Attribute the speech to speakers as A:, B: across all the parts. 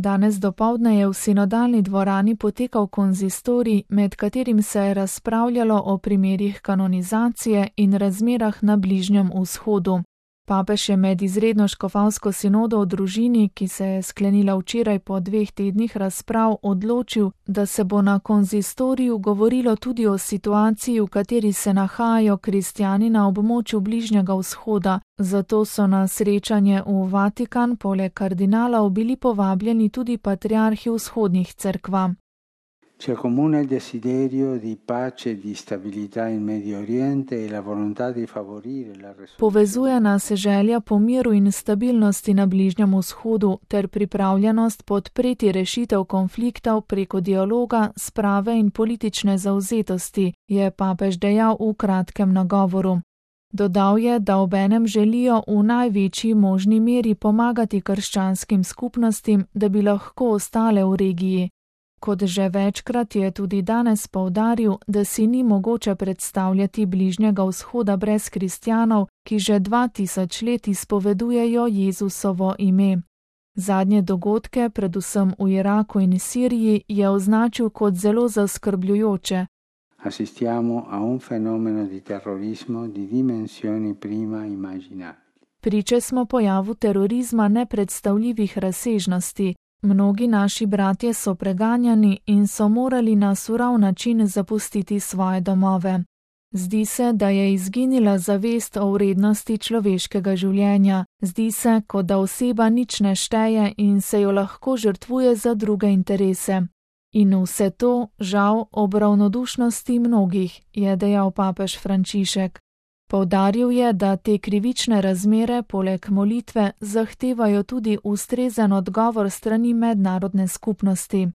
A: Danes dopoldne je v sinodalni dvorani potekal konzistorij, med katerim se je razpravljalo o primerih kanonizacije in razmerah na Bližnjem vzhodu. Papež je med izredno škofovsko sinodo o družini, ki se je sklenila včeraj po 2 tednih razprav, odločil, da se bo na konzistoriju govorilo tudi o situaciji, v kateri se nahajajo kristjani na območju Bližnjega vzhoda, zato so na srečanje v Vatikan poleg kardinalov bili povabljeni tudi patriarhi vzhodnih cerkva.
B: Ci accomuna il desiderio di pace e di stabilità in Medio Oriente e la volontà di favorire la risoluzione.
A: Povezuje nas želja po miru in stabilnosti na Bližnjem vzhodu ter pripravljenost podpreti rešitev konfliktov preko dialoga, sprave in politične zavzetosti, je papež dejal v kratkem nagovoru. Dodal je, da obenem želijo v največji možni meri pomagati krščanskim skupnostim, da bi lahko ostale v regiji. Kot že večkrat je tudi danes poudaril, da si ni mogoče predstavljati Bližnjega vzhoda brez kristjanov, ki že 2000 let izpovedujejo Jezusovo ime. Zadnje dogodke, predvsem v Iraku in Siriji, je označil kot zelo zaskrbljujoče.
B: Assistiamo a un fenomeno di terrorismo di dimensioni prima immaginabili.
A: Priče smo pojavu terorizma nepredstavljivih razsežnosti. Mnogi naši bratje so preganjani in so morali na surov način zapustiti svoje domove. Zdi se, da je izginila zavest o vrednosti človeškega življenja. Zdi se, kot da oseba nič ne šteje in se jo lahko žrtvuje za druge interese. In vse to, žal, ob ravnodušnosti mnogih, je dejal papež Frančišek. Poudaril je, da te krivične razmere poleg molitve zahtevajo tudi ustrezen odgovor strani mednarodne skupnosti.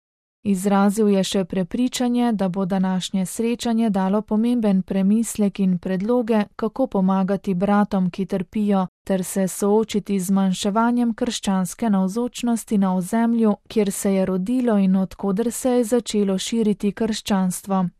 A: Izrazil je še prepričanje, da bo današnje srečanje dalo pomemben premislek in predloge, kako pomagati bratom, ki trpijo, ter se soočiti z zmanjševanjem krščanske navzočnosti na ozemlju, kjer se je rodilo in od koder se je začelo širiti krščanstvo.